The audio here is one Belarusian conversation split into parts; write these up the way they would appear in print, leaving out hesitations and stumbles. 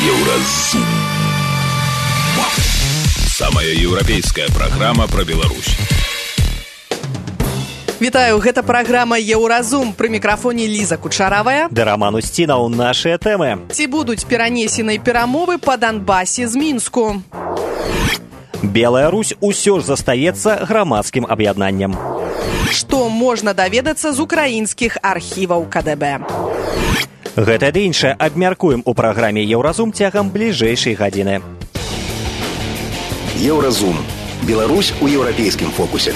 Еўразум. Самая еўрапейская праграма пра Беларусь. Вітаю, гэта праграма «Еўразум». Пры мікрафоне Ліза Кучаравая. Да Роман Устінаў, нашыя тэмы. Ці будуць перанесеныя перамовы па Донбасе з Мінску? Белая Русь усё ж застаецца грамадскім аб'яднаннем. Што можна даведацца з украінскіх архіваў КДБ? Гэта ды іншае абмяркуем у праграме «Еўразум» цягам бліжэйшай гадзіны. Еўразум. Беларусь у еўрапейскім фокусе.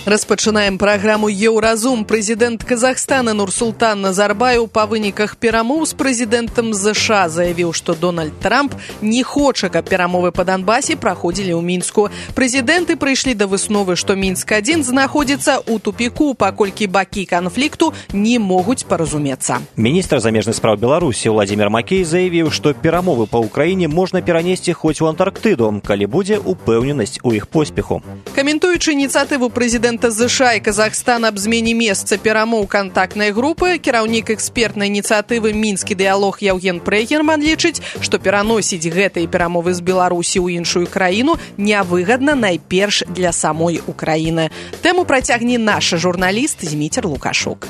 Распачынаем праграму «Еўразум». Прэзідэнт Казахстана Нурсултан Назарбаев па выніках перамоў з прэзідэнтам ЗША заявіў, што Дональд Трамп не хоча, каб перамовы па Донбасе праходзілі ў Мінску. Прэзідэнты прыйшлі да высновы, што Мінск-1 знаходзіцца ў тупіку, паколькі бакі канфлікту не могуць паразумецца. Міністр замежных спраў Беларусі Владзімір Макей заявіў, што перамовы па ўкраіне можна перанесці хоць у Антарктыду, калі будзе упэўненасць у іх поспеху. Каментуючы ініцыятыву прэзідэнта ЗША і Казахстана аб змене месца перамоў кантактнай групы, кіраўнік экспертнай ініцыятывы «Мінскі дыялог» Яўген Прэгерман лічыць, што пераносіць гэтыя перамовы з Беларусі ў іншую краіну нявыгадна найперш для самой Украіны. Тэму працягне наш журналіст Зміцер Лукашук.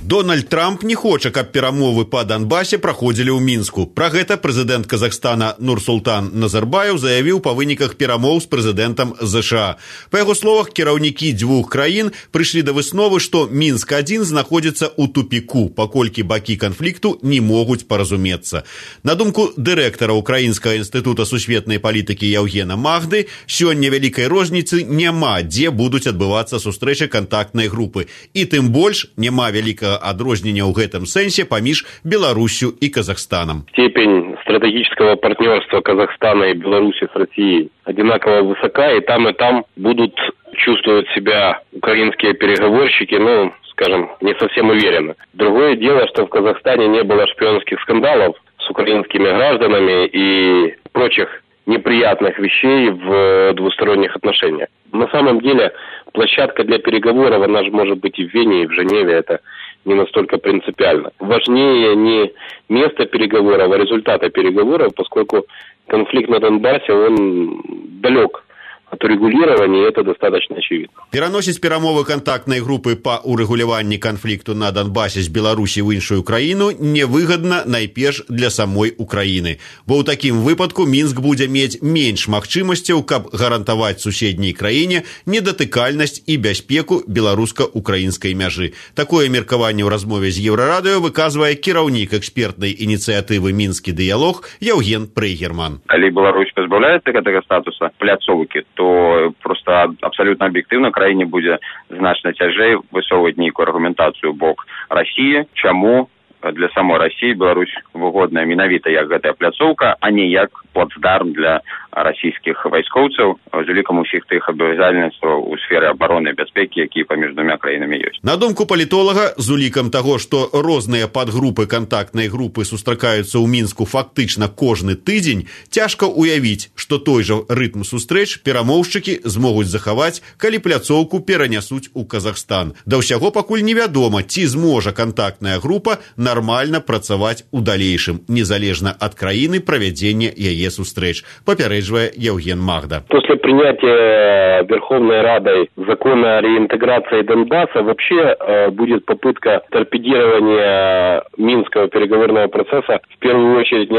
Дональд Трамп не хоча, каб перамовы па Донбасе праходзілі ў Мінску. Пра гэта прэзідэнт Казахстана Нурсултан Назарбаев заявіў па выніках перамоў з прэзідэнтам ЗША. Па яго словах, кіраўнікі дзвюх краін прыйшлі да высновы, што Мінск-1 знаходзіцца ў тупіку, паколькі бакі канфлікту не могуць паразумецца. На думку дырэктара Украінскага інстытута сусветнай палітыкі Яўгена Магды, сёння вялікай розніцы няма, дзе будуць адбывацца сустрэчы кантактнай групы. І тым больш няма вялікага адрознення ў гэтым сэнсе паміж Беларусью и Казахстаном. Степень стратегического партнерства Казахстана и Беларуси с Россией одинаково высока, и там будут чувствовать себя украинские переговорщики, скажем, не совсем уверенно. Другое дело, что в Казахстане не было шпионских скандалов с украинскими гражданами и прочих неприятных вещей в двусторонних отношениях. На самом деле, площадка для переговоров, она же может быть и в Вене, и в Женеве, это не настолько принципиально. Важнее не место переговоров, а результата переговоров, поскольку конфликт на Донбассе, он далек от урегулирования, это достаточно очевидно. Пераносіць перамовы кантактнай групы па урэгуляванні канфлікту на Донбасе з Беларусі ў іншую краіну невыгадна найперш для самой Украіны. Бо ў такім выпадку Мінск будзе мець менш магчымасцяў, каб гарантаваць суседняй краіне недатыкальнасць і бяспеку беларуска-украінскай мяжы. Такое меркаванне ў размове з Еўрарадыё выказвае кіраўнік экспертнай ініцыятывы «Мінскі дыялог» Яўген Прэгерман. Калі Беларусь пазбаўляецца гэтага статуса пляцоўкі, то просто абсолютно объективно краіне будзе значна цяжэй высоўваць нейкую аргументацыю бок России, чаму для самой России Беларусь выгодная менавіта як гэтая пляцоўка, а не як плацдарм для расійскіх вайскоўцаў з улікам усіх тых абавязальніцтваў у сферы абароны і бяспекі, якія паміж двумя краінамі ёсць. На думку палітолага, з улікам таго, што розныя падгрупы кантактнай групы сустракаюцца ў Мінску фактычна кожны тыдзень, цяжка ўявіць, што той жа рытм сустрэч перамоўшчыкі змогуць захаваць, калі пляцоўку перанясуць у Казахстан. Да ўсяго пакуль невядома, ці зможа кантактная група нармальна працаваць у далейшым, незалежна ад краіны правядзення яе сустрэч, папярэджвае Яўген Магда. После принятия Верховной Радой закона о реинтеграции Донбасса вообще будет попытка торпедирования Минского переговорного процесса в первую очередь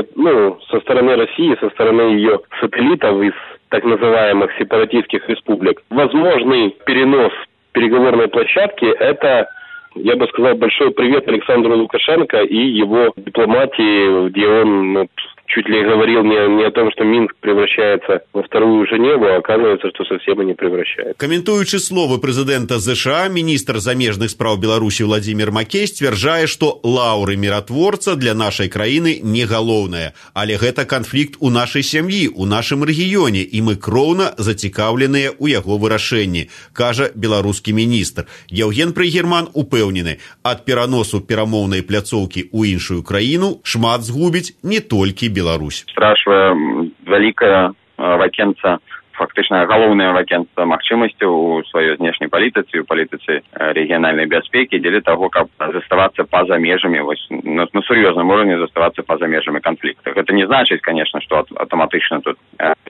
со стороны России, со стороны ее сателлитов из так называемых сепаратистских республик. Возможный перенос переговорной площадки – это, я бы сказал, большой привет Александру Лукашенко и его дипломатии, где он чуть ли говорил не о том, что Минск превращается во вторую Женеву, а оказывается, что совсем и не превращается. Каментуючы словы прэзідэнта ЗША, міністр замежных спраў Беларусі Владзімір Макей сцвярджае, што лаўры міратворца для нашай краіны не галоўнае, але гэта канфлікт у нашай сям'і, у нашым рэгіёне, і мы кроўна зацікаўленыя ў яго вырашэнні, кажа беларускі міністр. Яўген Прэгерман упэўнены, ад пераносу перамоўнай пляцоўкі ў іншую краіну шмат згубіць не толькі Беларусь. Страшная вялікая вакенца фактычна галоўная вакенства магчымасцяў у сваёй знешняй палітыцы, у палітыцы рэгіянальнай бяспекі дзеля таго, каб заставацца па-за межамі, на сур'ёзным уровне заставацца па-за межамі канфлікта. Гэта не значыць, конечно, што аўтаматычна тут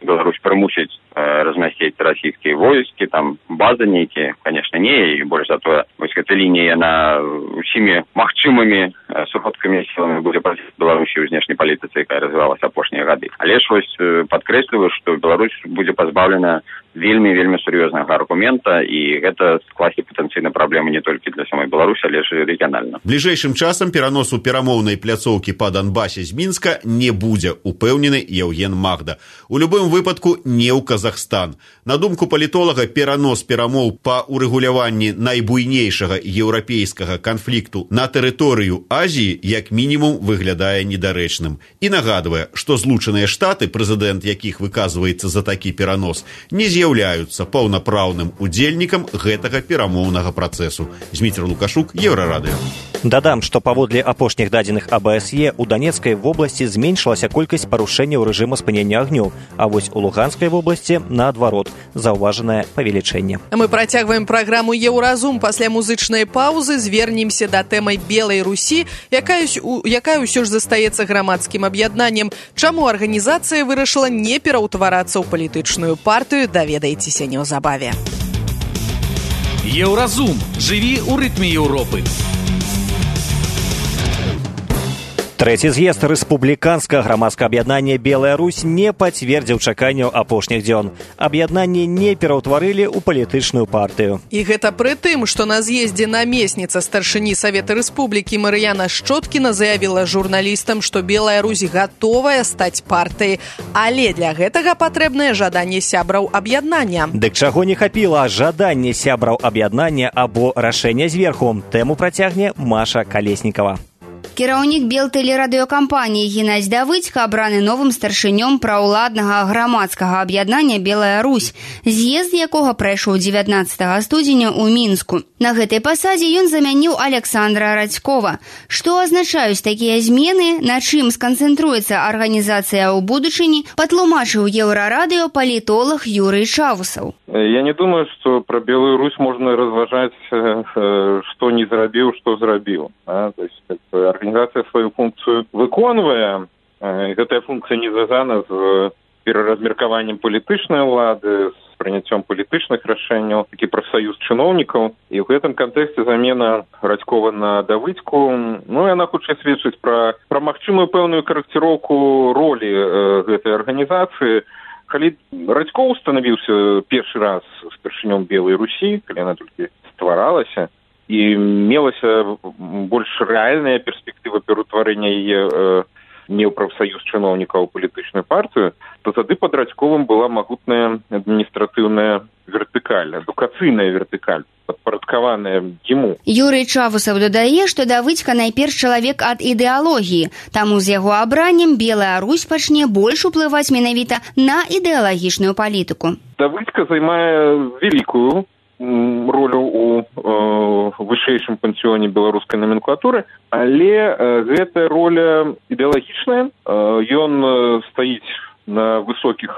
Беларусь прымусіць размясціць расійскія войскі, там базы нейкія, конечно, не, і больш за тое, гэта лінія на усімі магчымымі сродкамі сіламі будзе праціць Беларусі ў знешняй палітыцы, якая развівалася апошнія гады. Але ж падкрэсліваю, што Беларусь будзе пазбаўлена вельмі сур'ёзнага аргумента, і гэта скласці патэнцыйна праблемы не толькі для самой Беларусі, але ж рэгіянальна. Бліжэйшым часам пераносу перамоўнай пляцоўкі па Донбасе з Мінска не будзе, упэўнены Яўген Магда. У любым выпадку не ў Казахстан. На думку палітолага, перанос перамоў па урэгуляванні найбуйнейшага еўрапейскага канфлікту на тэрыторыю Азіі як мінімум выглядае недарэчным. І нагадвае, што Злучаныя Штаты, прэзідэнт якіх выказваецца за такі перанос, не з'яўляюцца паўнапраўным удзельнікам гэтага перамоўнага працэсу. Зміцер Лукашук, Еўрарадыё. Дадам, што паводле апошніх дадзеных АБСЕ у Донецкай вобласці зменшылася колькасць парушэнняў рэжыма спынення агню, а вось у Луганскай вобласці, наадварот, заўважанае павелічэнне. Мы працягваем праграму «Еўразум». Пасля музычнай паўзы звернемся да тэмы Белай Русі, якая ўсё ж застаецца грамадскім аб'яднаннем. Чаму арганізацыя вырашыла не пераўтварацца ў палітычную партыю, даведаецеся неўзабаве. Еўразум. Жыві ў рытме Еўропы. Трэці з'езд рэспубліканскага грамадскага аб'яднання «Белая Русь» не пацвердзіў чаканняў апошніх дзён. Аб'яднанне не пераўтварылі ў палітычную партыю. І гэта пры тым, што на з'ездзе намесніца старшыні Савета Рэспублікі Марыяна Шчоткіна заявіла журналістам, што «Белая Русь» гатовая стаць партыяй, але для гэтага патрэбнае жаданне сябраў аб'яднання. Дык чаго не хапіла? Жаданне сябраў аб'яднання або рашэнне зверху. Тэму працягне Маша Калеснікава. Кіраўнік белтэлерадыёкампаніі Геннадзь Давыдзька абраны новым старшынём праўладнага грамадскага аб'яднання «Белая Русь», з'езд якога прайшоў 19 студзеня ў Мінску. На гэтай пасадзе ён замяніў Александра Радзькова. Што азначаюць такія змены, на чым сканцэнтруецца арганізацыя ў будучыні, патлумачыў Еўрарадыё палітолог Юрый Чавусаў. Я не думаю, што пра Белую Русь можна разважаць, што не зрабіў, што зрабіў. То есть, арганізацыя сваю функцыю выконвае. Гэтая функцыя не звязана з пераразмеркаваннем палітычнай улады, з прыняццём палітычных рашэнняў, такі прафсаюз чыноўнікаў. І ў гэтым кантэксце замена Радзькова на Давыдзьку, яна хутчэй сведчыць пра магчымую пэўную карэкціроўку ролі гэтай арганізацыі. Калі Радзькоў станавіўся першы раз старшынём Белай Русі, калі яна толькі стваралася, і мелася больш рэальная перспектыва пераўтварэння яе не ў прафсаюз чыноўнікаў у палітычную партыю, то тады пад Радзьковым была магутная адміністратыўная вертыкаль, адукацыйная вертыкаль, падпарадкаваная яму. Юрый Чавусаў дадае, што Давыдзька найперш чалавек ад ідэалогіі, таму з яго абраннем Белая Русь пачне больш уплываць менавіта на ідэалагічную палітыку. Давыдзька займае вялікую ролю у вышэйшым пансіёне беларускай номенклатуры, але гэтая роля ідэалагічная. Ён стаіць на высокіх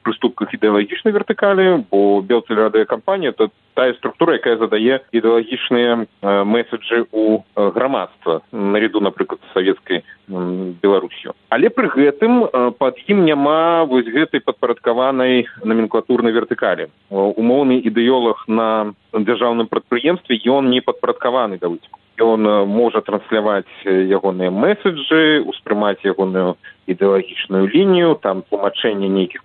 прыступках ідэалагічнай вертыкалі, бо белтэлерадыёкампанія – это тая структура, якая задае ідэалагічныя меседжы ў грамадства, наряду, напрыклад, з савецкай Беларусью. Але пры гэтым пад ім няма вось гэтай падпарадкаванай номенклатурнай вертыкалі. Умоўны ідэолог на дзяржаўным прадпрыемстве, ён не падпарадкаваны Давыдзьку. Ён можа трансляваць ягоныя меседжы, успрымаць ягоную ідэалагічную лінію, там тлумачэнне нейкіх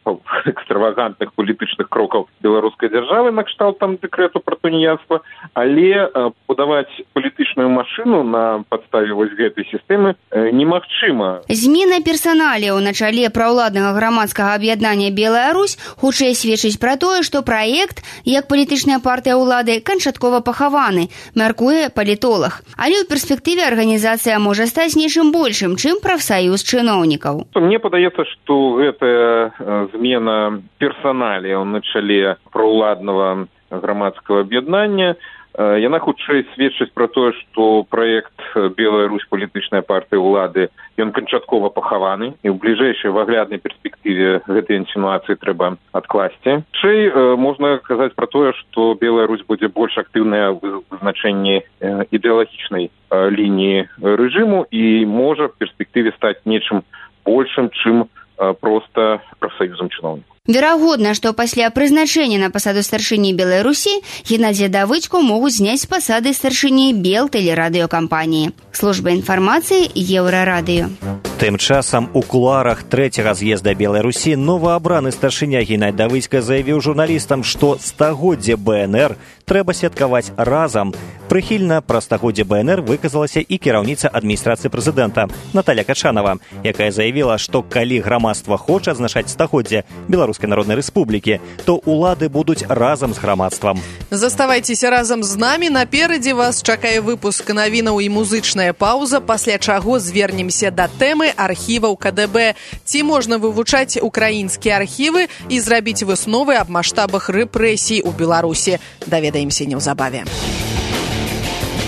экстравагантных палітычных крокаў беларускай дзяржавы на кшталт там дэкрэту пра тунеядства, але будаваць палітычную машыну на падставе вось гэтай сістэмы немагчыма. Змена персаналіяў на чале праўладнага грамадскага аб'яднання «Белая Русь» хутчэй сведчыць пра тое, што праект, як палітычная партыя ўлады, канчаткова пахаваны, мяркуе палітолог. Але ў перспектыве арганізацыя можа стаць нечым большым, чым прафсаюз чыноўнікаў. Мне падаецца, што гэтая змена персаналіяў на чале праўладнага грамадскага аб'яднання Яна хутчэй сведчыць пра тое, што праект «Белая Русь» палітычнай партыі ўлады, ён канчаткова пахаваны, і ў бліжэйшай выгляднай перспектыве гэтай інсінуацыі трэба адкласці. Хутчэй можна казаць пра тое, што «Белая Русь» будзе больш актыўная ў вызначэнні ідэалагічнай лініі рэжыму і можа в перспектыве стаць нечым большым, чым проста прафсаюзам чыноўнікаў. Верагодна, што пасля прызначэння на пасаду старшыні Белай Русі Геннадзія Давыдзьку могуць зняць з пасады старшыні Белтэлерадыёкампаніі. Служба інфармацыі Еўрарадыё. Тым часам у кулуарах трэцяга з'езда Белай Русі новаабраны старшыня Геннадзь Давыдзька заявіў журналістам, што стагоддзе БНР трэба святкаваць разам. Прыхільна пра стагоддзе БНР выказалася і кіраўніца адміністрацыі прэзідэнта Наталя Качанова, якая заявіла, што калі грамадства хоча адзначаць стагоддзе Беларускай Народнай Рэспублікі, то ўлады будуць разам з грамадствам. Заставайцеся разам з намі. Наперадзе вас чакае выпуск навінаў і музычная паўза, пасля чаго звернемся да тэмы архіваў КДБ. Ці можна вывучаць украінскія архівы і зрабіць высновы аб маштабах рэпрэсій у Беларусі? Даведаемся неўзабаве.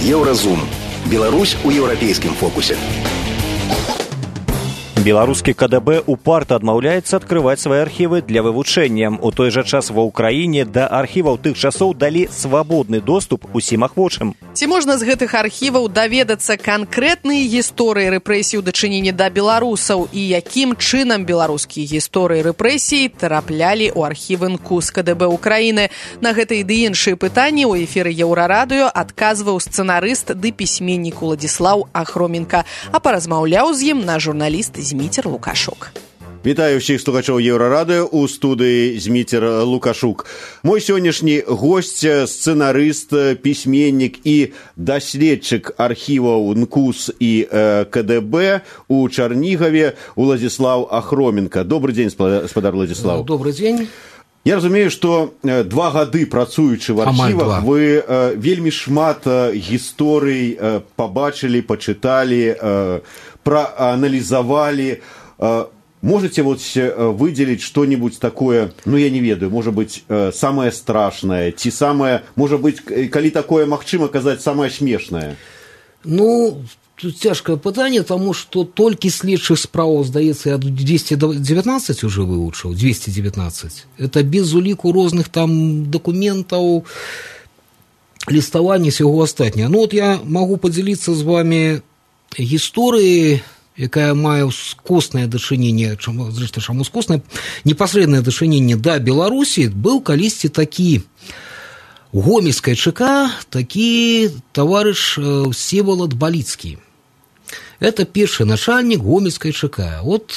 Еўразум. Беларусь у еўрапейскім фокусе. Беларускі КДБ упарта адмаўляецца адкрываць свае архівы для вывучэння. У той жа час ва ўкраіне да архіваў тых часоў далі свабодны доступ усім ахвочым. Ці можна з гэтых архіваў даведацца канкрэтныя гісторыі рэпрэсій у дачыненні да беларусаў і якім чынам беларускія гісторыі рэпрэсій траплялі ў архівы НКУС КДБ Украіны? На гэтыя ды іншыя пытанні ў эфіры Еўрарадыё адказваў сцэнарыст ды пісьменнік Уладзіслаў Ахроменка, а паразмаўляў з ім наш журналіст Зміцер Лукашук. Вітаю ўсіх слухачоў Еўрарадыё, у студыі Зміцер Лукашук. Мой сённяшні госць, сцэнарыст, пісьменнік і даследчык архіваў НКУС і КДБ у Чарнігаве Уладзіслаў Ахроменка. Добрый дзень, спадар Уладзіслаў. Добрый дзень. Я разумею, што 2 гады працуючы в архівах, вы вельмі шмат гісторый пабачылі, пачыталі, проанализовали. Можете вот выделить что-нибудь такое, ну я не ведаю, может быть, самое страшное, ці самое, может быть, калі такое магчыма казаць, самое смешное? Ну, тут цяжкае пытанне, таму што толькі следчых справаў, здаецца, я 219 уже вывучыў, 219. Это без уліку розных там дакументаў, ліставання, всего астатняе. Ну вот я могу подзяліцца з вами гісторыі, якая мае скоснае дачыненне, зрэшты, чаму скоснае, непасрэднае дачыненне да Беларусі. Быў калісьці такі у Гомельскай ЧК, такі таварыш Всеволод Баліцкі. Это першы начальнік Гомельскай ЧК. Вот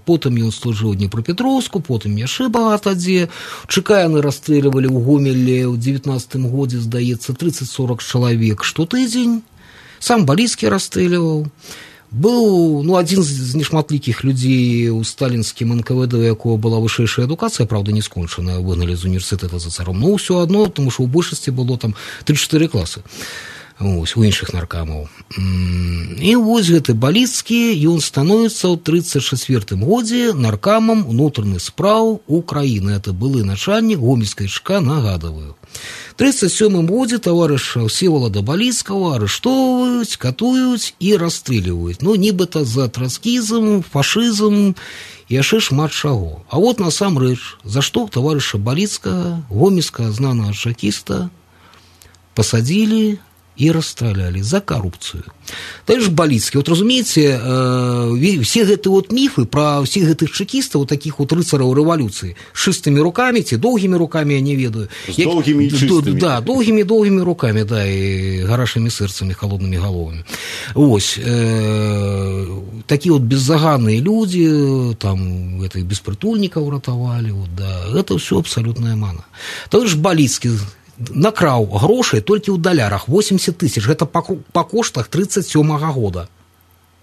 потым ён служыў у Днепропетровску, потым яшчэ багата дзе. ЧК яны расстрэльвалі ў Гомелі ў 19-м годзе, здаецца, 30-40 чалавек штотыдзень. Сам Баліцкі расстрэльваў. Быў, ну, адзін з нешматлікіх людзей у сталінскім НКВД, у якого была вышэйшая адукацыя, правда, не скончаная, выгналі з універсітэта за царом. Ну, ўсё адно, тому што ў большасці было там 3-4 класы. Ось, у іншых наркамаў. І вось гэты Баліцкі, ён становіцца ў 34-м годзе наркамам унутраных спраў Украіны. Это былы начальнік Гомельскай ЧК, нагадываю. В 1937 годзе таварыша Всеволода Баліцкага арыштоўваюць, катуюць і расстрэльваюць. Ну, нібыта за троцкізм, фашызм, яшчэ шмат чаго. А вот насамрэч, за што таварыша Баліцкага, гомельскага знанага чакіста, пасадзілі и расстреляли за коррупцию. Так же Баліцкі. Вот разумеете, все эти вот мифы про всех этих чекистов, вот таких вот рыцараў революции, с чистыми руками, те долгими руками, я не ведаю. С долгими и чистыми. Да, долгими руками, да, и гарашими сердцами, холодными головами. Ось. Такие вот беззаганные люди, там, это, беспритульников ратовали, вот, да, это все абсолютная мана. Так же Баліцкі накраў грошай толькі ў далярах 80 тысяч. Гэта па коштах 37-го года.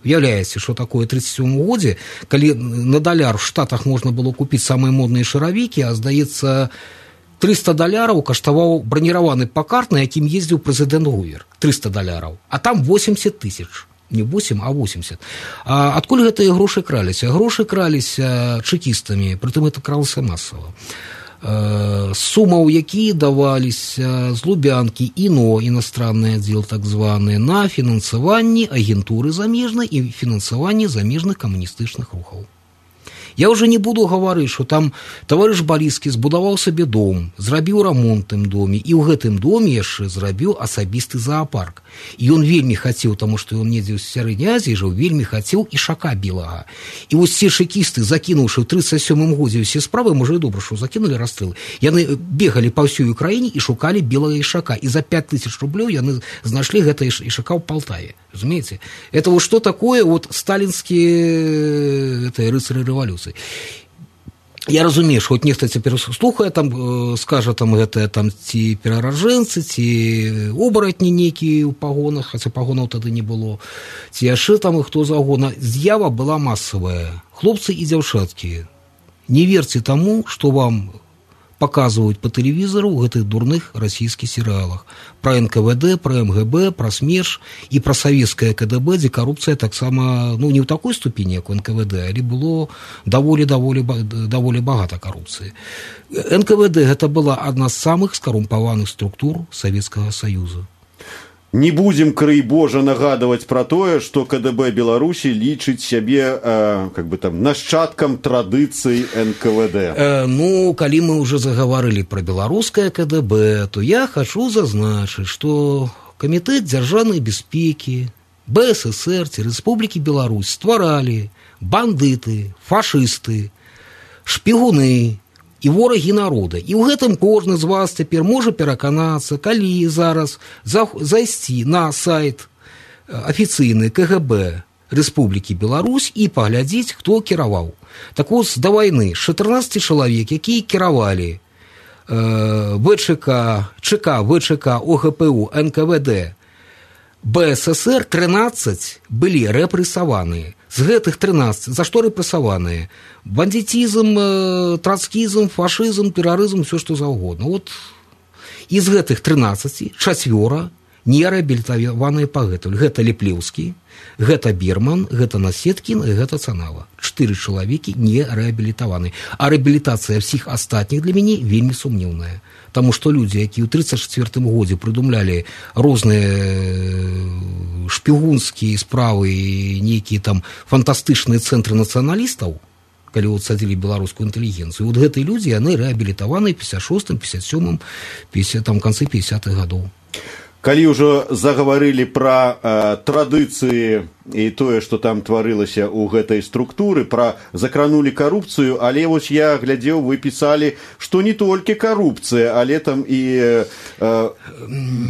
Уяўляеце, што такое 37 годзе, калі на даляр в Штатах можна было купіць самыя модныя шаравікі, а здаецца 300 доляраў каштаваў браніраваны пакарт, на якім ездзіў прэзідэнт Гувер. 300 доляраў. А там 80 тысяч. Не 8, а 80. А адкуль гэтыя грошы краліся? Грошы краліся чекістамі, прытым это кралася масава. сумаў, якія даваліся з Лубянкі ІНО, іностранны аддзел так званы, на фінансаванне агентуры замежнай і фінансаванне замежных камуністычных рухаў. Я уже не буду гаварыць, што там таварыш Баліскі збудаваў сабе дом, зрабіў рамонт тым доме, і ў гэтым доме яшчэ зрабіў асабісты зоапарк. І ён вельмі хацеў, таму што ён недзе ў Сярэдняй Азіі жыў, вельмі хацеў ішака белага. І вось ці шыкісты, закінуўшы ў 37-м годзе ўсе справы, можа і добра, што закінулі расстрэлы, яны бегалі па ўсёй Украіне і шукалі белага ішака. І за 5000 рублёў яны знайшлі гэта ішака ў Палтаве. Разумеете? Это вот что такое вот сталинские рыцари революции. Я разумею, что вот нехта цяпер слухае, там, скажа, там, гэта, там, ці перараджэнцы, ці обаратні нейкія ў пагонах, хаця пагонаў тады не было, ці яшчэ там і хто загона. З'ява была масавая. Хлопцы і дзяўчаткі, не верьте тому, что вам показывают по телевизору в этих дурных российских сериалах. Про НКВД, про МГБ, про СМЕРШ и про советское КДБ, где коррупция так само, ну, не в такой ступени, как у НКВД, але было довольно багато коррупции. НКВД это была одна из самых скоррумпованных структур Советского Союза. Не будем, крый Божа, нагадывать про тое, что КДБ Беларуси лічыць сябе как бы там нашчадкам традыцый НКВД. Ну, калі мы уже заговорили про белорусское КДБ, то я хочу зазначить, что Комитет дзяржаўнай бяспекі БССР Республики Беларусь стваралі бандыты, фашисты, шпігуны і ворагі народа. І ў гэтым кожны з вас цяпер можа пераканацца, калі зараз зайсці на сайт афіцыйны КГБ Республікі Беларусь і паглядзець, хто кіраваў. Так вот, да вайны 14 чалавек, якія кіравалі ЧК, ВЧК, ОГПУ, НКВД, БССР, 13 былі рэпрэсаваныя. З гэтых 13 за што рэпрэсаваныя? Бандитизм, троцкизм, фашизм, терроризм, все что заўгодна. Вот из гэтых 13 4 не реабілітаваныя пагэтуль. Гэта Ліплеўскі, гэта Берман, гэта Насеткін і гэта Цанава. 4 чалавекі не реабілітаваны. А реабілітацыя всіх астатніх для мяне вельмі сумнеўная. Таму што людзі, якія ў 34 годзе прыдумлялі розныя шпігунскія справы і нейкія там фантастычныя цэнтры нацыяналістаў, калі вот садзілі беларускую інтэлігенцыю, вот гэтыя людзі, яны рэабілітаваны 56-м, 57-м, там канцы 50-х гадоў. Калі ўжо заговорили про традыцыі і тое, што там тварылася ў гэтай структуры, про закранули коррупцию, але вось я глядзеў, вы писали, што не толькі коррупцыя, але там і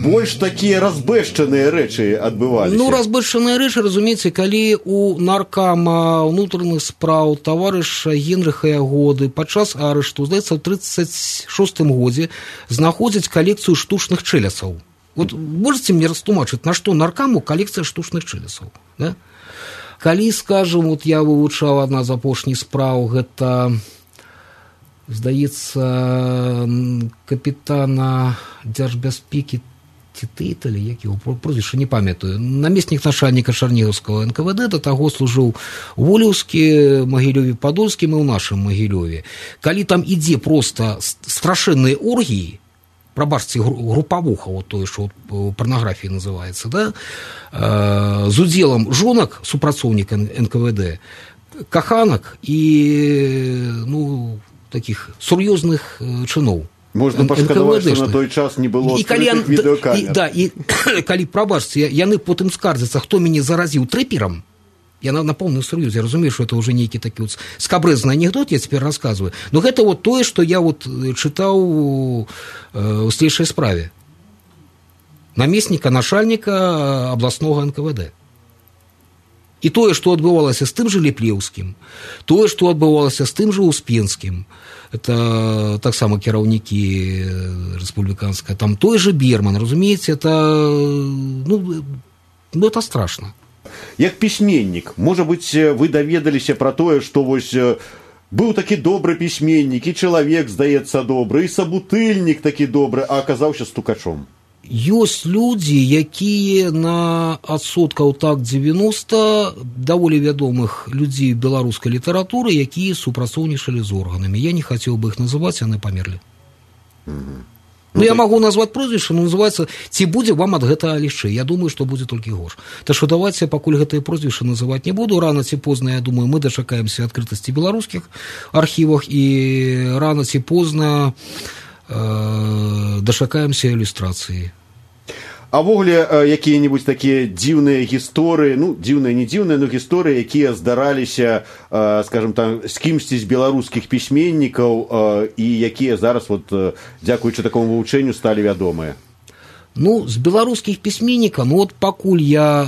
больш такія разбэшчаныя рэчы адбываліся. Ну, разбэшчаныя рэчы, разумееце, калі у наркама ўнутраных спраў таварыша Генрыха Ягоды падчас арышту, здаецца, ў 36-м годзе знаходзяць калекцыю штучных чэлясаў. Вот можете мне растлумачыць, на што наркаму калекцыя штучных чэлясаў? Да? Калі, скажем, вот я вывучаў адна з апошніх спраў, гэта, здаецца, капітана дзяржбяспекі Тыталі, як его прозвішча, не памятаю, намеснік начальніка Чарнігаўскага НКВД, да таго служыў у Волевскі, Магілёве, Падольскім і ў нашым Магілёве. Калі там ідзе проста страшэнныя оргіі, пробачьте, групповуха, вот то, что порнография называется, да, с уделом жонок супрацоўніка НКВД, каханок и, ну, таких сур'ёзных чыноў. Можно пашкадаваць, што на той час не было скрытых відэокамер. Да, і калі, прабачце, яны потым скардзяцца, хто мяне заразіў трэперам, я на полном серьезе, я разумею, что это уже некий такой вот скабрэзны анекдот, я теперь рассказываю. Но это вот то, что я вот читал в следующей справе. Наместника, начальника областного НКВД. И то, что отбывалось с тем же Ліплеўскім, то, что отбывалось с тем же Успенским, это так само кіраўнікі республиканская, там той же Берман, разумеется, это, ну, это страшно. Як пісьменнік, можа быць, вы даведаліся пра тое, што вось быў такі добры пісьменнік, і чалавек, здаецца, добры, і сабутыльнік такі добры, а аказаўся стукачом? ёсць людзі, якія на адсоткаў так 90 даволі вядомых людзей беларускай літаратуры, якія супрацоўнічалі з органамі. Я не хацеў бы іх называць, яны памерлі. Ну, я могу назваць прозвішча, но называецца «Ці будзе вам ад гэтага лішчэй». Я думаю, што будзе толькі горш. Так што давайце, пакуль гэтыя прозвішчы называць не буду, рана ці позна, я думаю, мы дачакаемся адкрытасці беларускіх архівах і рана ці позна дачакаемся ілюстрацыі. А ввогуле якія-небудзь такія дзіўныя гісторыі, ну, дзіўныя, не дзіўныя, но гісторыі, якія здараліся, скажем там, з кімсьці з беларускіх пісьменнікаў і якія зараз, вот, дзякуючы такому вывучэнню, сталі вядомыя? Ну, з беларускіх пісьменнікаў, ну, вот пакуль я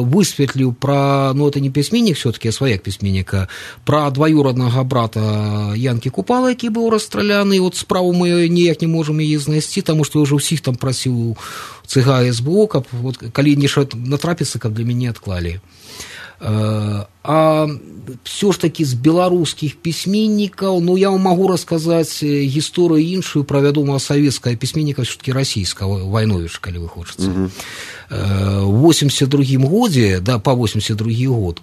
высветліў пра, ну, это не пісьменнік все-таки, а сваяк пісьменніка, пра дваюроднага брата Янкі Купала, які быў расстраляны, вот справу мы ніяк не можам яе знайсці, таму што ўжо ўсіх там прасіў ЦГ СБУ, каб вот, калі нешта натрапіцца, каб для мяне адклалі. А все ж таки з беларускіх пісьменнікаў, ну, я вам могу расказаць гісторыю іншую пра вядомага савецкага пісьменніка, все-таки расійскага, Вайновіч, калі вы хочаце. В 82-м годзе, да, па 82-й год,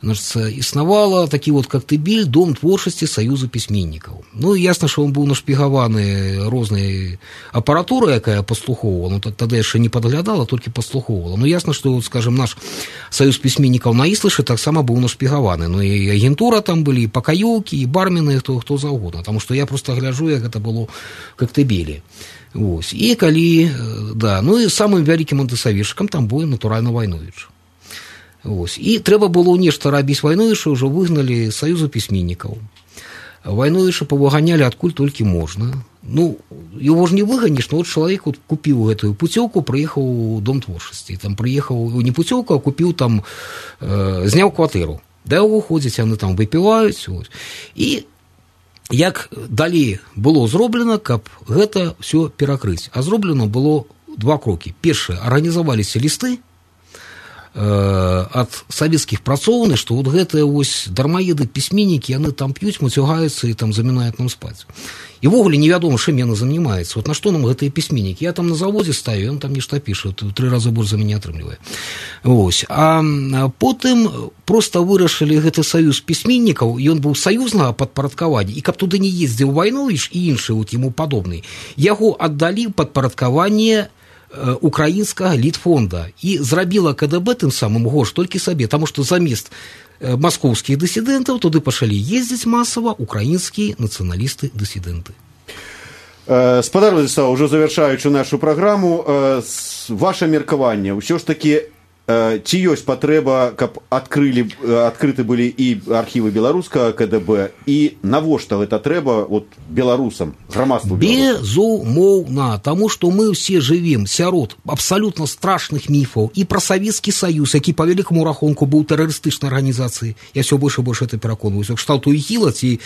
значит, існавала такі вот Коктебель, дом творчасці Саюза пісьменнікаў. Ну, ясна, што он быў нашпігаваны рознай апаратурай, якая паслухоўвала, ну, тады яшчэ не падглядала, толькі паслухоўвала. Ну, ясна, што, скажем, наш Саюз пісьменнікаў на Іслышы таксама быў нашпігаваны. Ну, і агентура там былі, і пакаёўкі, і бармены, хто заўгодна. Таму што я проста гляджу, як гэта было в Коктебелі. Вось. І калі, да, ну, і самым вялікім антысавешчыкам там быў, натуральна, Вайновіч. Ось. І трэба было нешта рабіць Вайновіча, ўжо выгналі Саюза пісьменнікаў. Вайновіча павыганялі адкуль толькі можна. Ну, его ж не выганіш, но вот чалавек вот купіў гэтую пуцёўку, прыехаў у дом творчасці. Там прыехаў, не пуцёўку, а купіў там, зняў кватэру. Да яго ходзяць, яны там выпіваюць. Ось. І як далей было зроблена, каб гэта все перакрыць. А зроблена было два крокі. Першае, арганізаваліся лісты ад савецкіх працоўных, што вот гэтыя вось дармаеды пісьменнікі, яны там п'юць, мацюгаюцца і там замінаюць нам спаць. І ввогуле невядома, чым яны занимаюцца. Вот на што нам гэтыя пісьменнікі? Я там на заводзе стаю, ён там нешта піша, 3 разы больш за мяне атрымлівае. Ось. А потым проста вырашылі гэты саюз пісьменнікаў, ён быў саюзнага падпарадкавання, і каб туды не ездзіў Вайновіч і іншы вот яму падобны, яго аддалі падпарадкаванне украінскага літфонда і зрабіла КДБ тым самым горш толькі сабе, таму што замест маскоўскіх дысідэнтаў туды пачалі ездзіць масава украінскія нацыяналісты-дысідэнты. Спадар Владислав, ўжо завяршаючы нашу праграму, ваше меркаванне, ўсё ж такі ці ёсць патрэба, каб адкрыты былі і архівы беларускага КДБ, і навошта гэта трэба вот беларусам, грамадству беларусам? Безумоўна, таму што мы ўсе жывем сярод абсалютна страшных міфаў і пра Савецкі Саюз, які па вялікаму рахунку быў тэрарыстычнай арганізацыяй. Я ўсё больш і больш это пераконваюся, кшталту ІГІЛа ці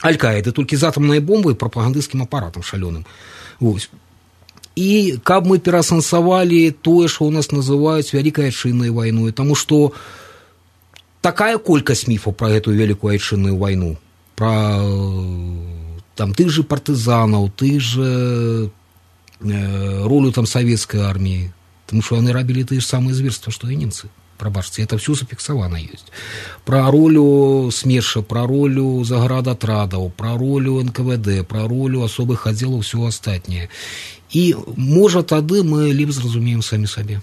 Аль-Каіды, толькі з атамнай бомбай і прапагандысцкім апаратам шалёным. Вось. І каб мы перасэнсавалі тое, што ў нас называюць вялікай айчыннай вайной, таму што такая колькасць міфаў пра гэтую вялікую айчынную вайну, пра там тых же партызанаў, тых же ролю там савецкай арміі, таму што яны рабілі тыя ж самыя зверства, што і немцы. Прабачце, это все зафіксавана ёсць. Пра ролю СМЕРШа, пра ролю заградатрадаў, пра ролю НКВД, пра ролю асобых аддзелаў, ўсё астатняе. І, можа, тады мы лепш зразумеем самі сабе.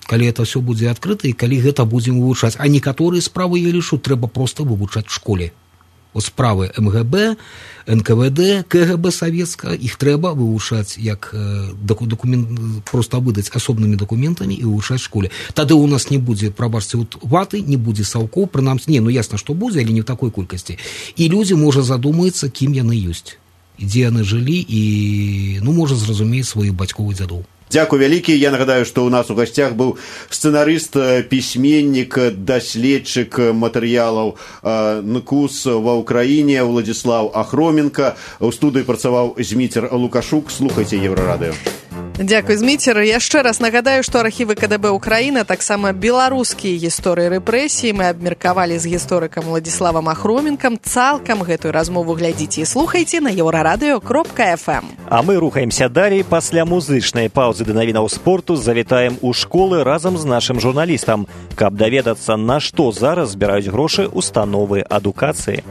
Калі это все будзе адкрыта і калі гэта будзем вывучаць. А некаторыя справы, я лічу, трэба проста вывучаць в школе. Вот справы МГБ, НКВД, КГБ савецка, іх трэба вывучаць як документ, просто выдаць асобнымі дакументамі і вывучаць в школе. Тады у нас не будзе, прабачце, вот ваты, не будзе саўкоў, прынамсі, не, ну ясна, што будзе, але не в такой колькасці. І людзі, можа, задумаюцца, кім яны ёсць, дзе яны жылі і, ну, можа, зразумець сваіх бацькоў і дзядоў. Дзякуй вялікі. Я нагадаю, што ў нас у гасцях быў сцэнарыст, пісьменнік, даследчык матэрыялаў НКУС ва ўкраіне Владзіслаў Ахроменка. У студыі працаваў Зміцер Лукашук. Слухайце Еўрарадыё. Дзякуй, Зміцер. Яшчэ раз нагадаю, што архівы КДБ Украіна, таксама беларускія гісторыі рэпрэсіі мы абмеркавалі з гісторыкам Владзіславам Ахроменкам. Цалкам гэтую размову глядзіце і слухайце на еўрарадыё.фм. А мы рухаемся далей. Пасля музычнай паўзы да навінаў спорту завітаем у школы разам з нашым журналістам, каб даведацца, на што зараз збіраюць грошы установы адукацыі.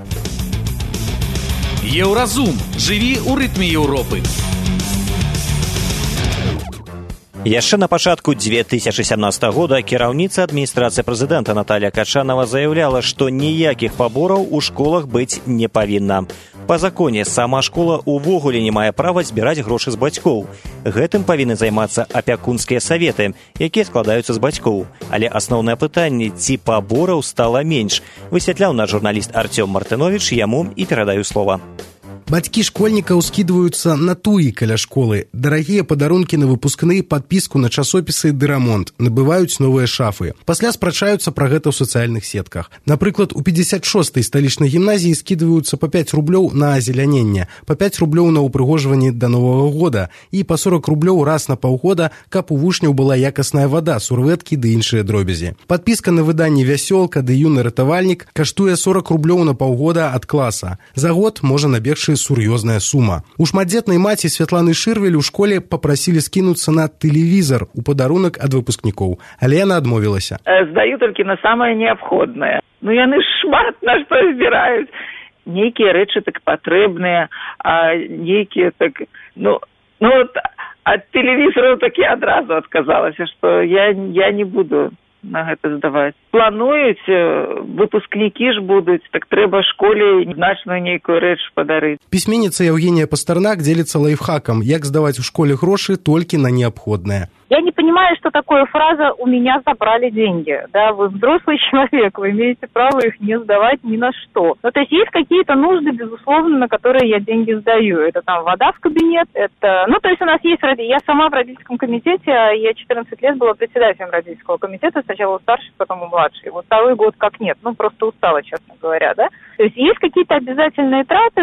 Еўразум. Жыві ў рытме Еўропы. Яшчэ на пачатку 2017 года кіраўніца адміністрацыі прэзідэнта Наталья Качанова заяўляла, што ніякіх пабораў у школах быць не павінна. Па законе сама школа ўвогуле не мае права збіраць грошы з бацькоў. Гэтым павінны займацца апякунскія саветы, якія складаюцца з бацькоў. Але асноўнае пытанне, ці пабораў стала менш, высвятляў наш журналіст Артём Мартынович, яму і перадаю слова. Бацькі школьнікаў скідваюцца на туі каля школы, дарагія падарункі на выпускныя, падпіску на часопісы ды рамонт, набываюць новыя шафы. Пасля спрачаюцца пра гэта ў сацыяльных сетках. Напрыклад, у 56-й сталічнай гімназіі скідваюцца па 5 рублёў на азеляненне, па 5 рублёў на ўпрыгожванне да Новага года і па 40 рублёў раз на паўгода, каб у вучняў была якасная вада, сурвэткі ды іншыя дробязі. Падпіска на выданне «Вясёлка» ды «Юны ратавальнік» каштуе 40 рублёў на паўгода ад класа. За год можа набегчы сур'ёзная сума. У шматдзетнай маці Святланы Шырвель у школе папрасілі скінуцца на тэлевізар у падарунак ад выпускнікоў, але яна адмовілася. Здаю толькі на самае неабходнае. Яны шмат на што збіраюць. Нейкія рэчы так патрэбныя, а нейкія так... ад тэлевізару так я адразу адказалася, што я не буду на гэта здаваць. Плануюць, выпускнікі ж будуць, так трэба школе значную нейкую рэч падарыць. Пісьменніца Евгения Пастернак дзеліцца лайфхакам, як здаваць у школе грошы толькі на неабходнае. Я не понимаю, что такое фраза «у меня забрали деньги». Да, вы взрослый человек, вы имеете право их не сдавать ни на что. То есть есть какие-то нужды, безусловно, на которые я деньги сдаю. Это там вода в кабинет, это... то есть у нас есть... Я сама в родительском комитете, я 14 лет была председателем родительского комитета, сначала у старшей, потом у младшей. Вот второй год как нет, просто устала, честно говоря, да. То есть есть какие-то обязательные траты,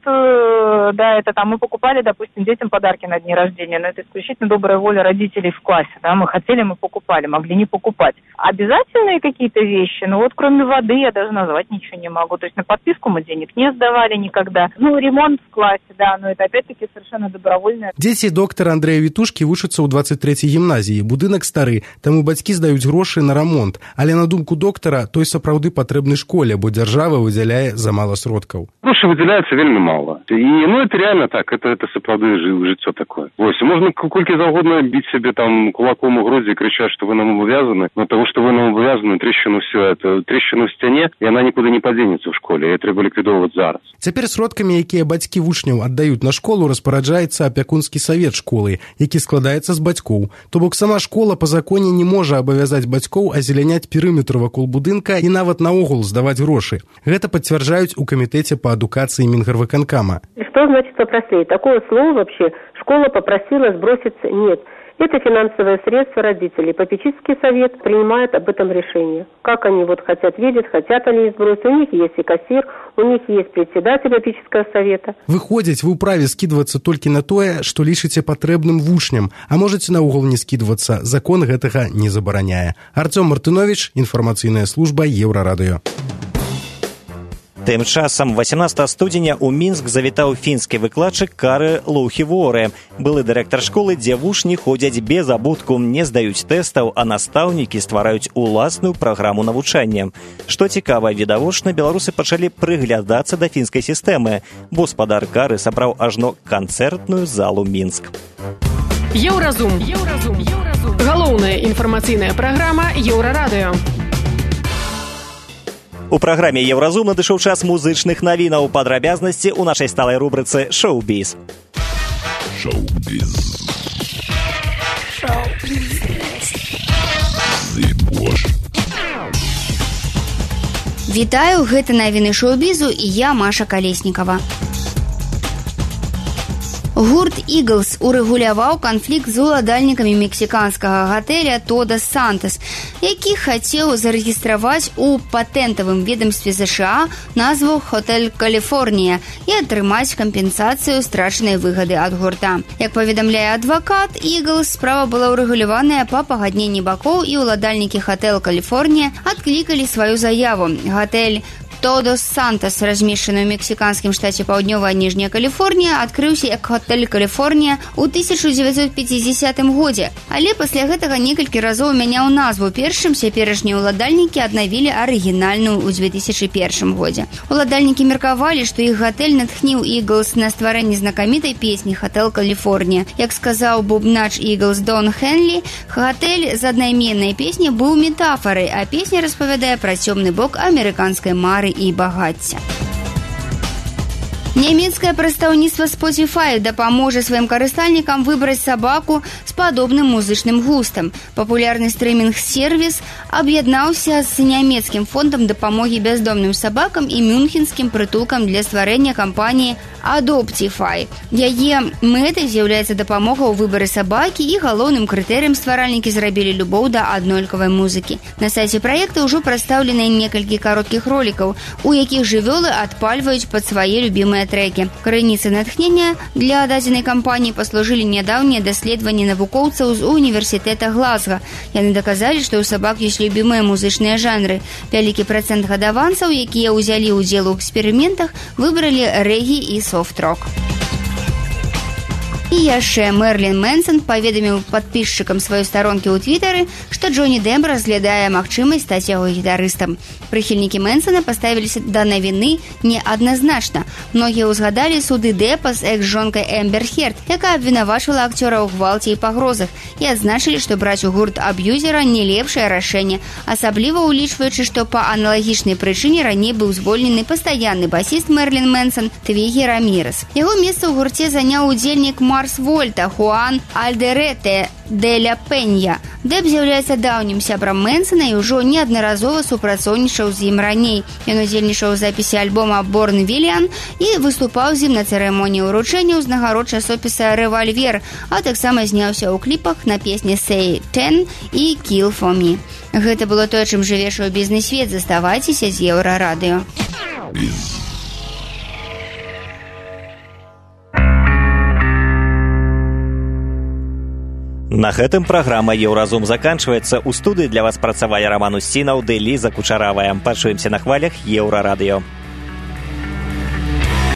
это там мы покупали, допустим, детям подарки на дни рождения, но это исключительно добрая воля родителей в классе, да, мы хотели, мы покупали, могли не покупать. Обязательные какие-то вещи, кроме воды я даже назвать ничего не могу, то есть на подписку мы денег не сдавали никогда. Ремонт в классе, да, но это опять-таки совершенно добровольно. Дзеці доктара Андрэя Вітушкі вучацца ў 23-й гімназіі, будынак стары, таму бацькі здаюць грошы на рамонт, але на думку доктара, той сапраўды патрэбны школе, бо дзяржава выдзяляе замало сродкаў. Грошы выдзяляецца вельмі мала. І это реально так, это сапраўды жыццё такое. Можна колькі заўгодна біць сябе там кулаком у грудзі і крычаць, што вы нам абавязаны, но того, што вы нам абавязаны, трещину в сцяне, і она нікуды не падзенецца ў школе, і трэба ліквідоўваць зараз. Цяпер сродкамі, якія бацькі вучняў аддаюць на школу, распараджаецца апякунскі савет школы, які складаецца з бацькоў. То бок сама школа па законе не можа абавязаць бацькоў азеляняць перыметр вакол будынка і нават наогул здаваць грошы. Гэта пацвярджаюць у камітэце па адукацыі Мінгарвыканкама. Что значит попросить? Такого слова вообще школа попросила сброситься нет. Это финансовое средство родителей. Попечительский совет принимает об этом решение. Как они хотят видеть, хотят они сбросить. У них есть и кассир, у них есть председатель попечительского совета. Выходзіць, вы ўправе скідвацца толькі на тое, што лічыце патрэбным вучням, а можаце наогул не скідвацца. Закон гэтага не забараняе. Артём Мартынович, інфармацыйная служба Еўрарадыё. Тым часам 18 студзеня ў Мінск завітаў фінскі выкладчык Кары Лоухіворе. Былы дырэктар школы, дзе вучні ходзяць без абутку, не здаюць тэстаў, а настаўнікі ствараюць уласную праграму навучання. Што цікава, відавочна, беларусы пачалі прыглядацца да фінскай сістэмы, бо спадар Кары сабраў ажно канцэртную залу Мінск. Еўразум. Галоўная інфармацыйная праграма Еўрарадыё. У праграме «Еўразум» надышоў час музычных навінаў. Падрабязнасці ў нашай сталай рубрыцы «Шоу-біз». Вітаю, гэта навіны шоу-бізу і я, Маша Калеснікава. Гурт «Иглс» урэгуляваў канфлікт з уладальнікамі мексіканскага гатэля «Тодос Сантос», які хацеў зарэгістраваць у патэнтавым ведомстве США назву «Хотель Каліфорнія» і атрымаць кампенсацыю страчанай выгады ад гурта. Як паведамляе адвакат «Иглс», справа была урэгуляваная па пагадненні бакоў, і ўладальнікі «Хотель Каліфорнія» адклікалі сваю заяву. Гатэль «Тодос Сантос», размешчаны ў мексіканскім штаце Паўднёвая Ніжняя Каліфорнія, адкрыўся як «Хотель Каліфорнія» ў 1950 годзе, але пасля гэтага некалькі разоў мяняў назву. Першым цяперашнія ўладальнікі аднавілі арыгінальную ў 2001 годзе. Уладальнікі меркавалі, што іх гатэль натхніў «Иглс» на стварэнне знакамітай песні «Хотель Каліфорнія». Як сказаў бубнач «Иглс» Дон Хенлі, гатэль з аднайменнай песні быў метафарай, а песня распавядае пра цёмны бок амерыканскай мары і багацця. Нямецкае прадстаўніцтва Spotify дапаможа сваім карыстальнікам выбраць сабаку з падобным музычным густам. Папулярны стрымінг-сервіс аб'яднаўся з нямецкім фондам дапамогі бяздомным сабакам і мюнхенскім прытулкам для стварэння кампаніі Adoptify. Яе мэтай з'яўляецца дапамога ў выбары сабакі, і галоўным крытэрыем стваральнікі зрабілі любоў да аднолькавай музыкі. На сайце праекта ўжо прадстаўлены некалькі кароткіх ролікаў, у якіх жывёлы адпальваюць пад свае любімыя трекі. Крыніцай натхнення для дадзенай кампаніі паслужылі нядаўнія даследаванні навукоўцаў з універсітэта Глазга. Яны даказалі, што ў сабак ёсць любімыя музычныя жанры. Вялікі працэнт гадаванцаў, якія ўзялі ўдзел у эксперыментах, выбралі рэгі і софт-рок. І яшчэ Мерлін Мэнсон паведаміў падпісчыкам сваёй старонкі ў твітары, што Джонні Депп разглядае магчымасць стаць яго гітарыстам. Прыхільнікі Мэнсона паставіліся да навіны неадназначна. Многія ўзгадалі суды Деппа з экс-жонкай Эмбер Херд, якая абвінавачвала акцёра ў гвалце і пагрозах, і адзначылі, што браць у гурт аб'юзера не лепшае рашэнне, асабліва ўлічваючы, што па аналагічнай прычыне раней быў звольнены пастаянны басіст Мерлін Мэнсон Твігі Рамірес. Яго месца ў гурце заняў удзельнік Марс Вольта Хуан Альдерете де ля Пенья. Депп з'яўляецца даўнім сябрам Мэнсона і ўжо неаднаразова супрацоўнічаў з ім раней. Ён удзельнічаў у запісе альбома «Борн Вільян» і выступаў з ім на цырымоніі ўручэння ўзнагарод часопіса «Рэвальвер», а таксама зняўся ў кліпах на песні «Say 10» і «Kill for me». Гэта было тое, чым жыве шоу-бізнес-свет. Заставайцеся з Еўрарадыё. На гэтым праграма «Еўразум» заканчваецца. У студыі для вас працавалі Роман Устінаў ды Ліза Кучаравая. Пачуемся на хвалях Еўрарадыё.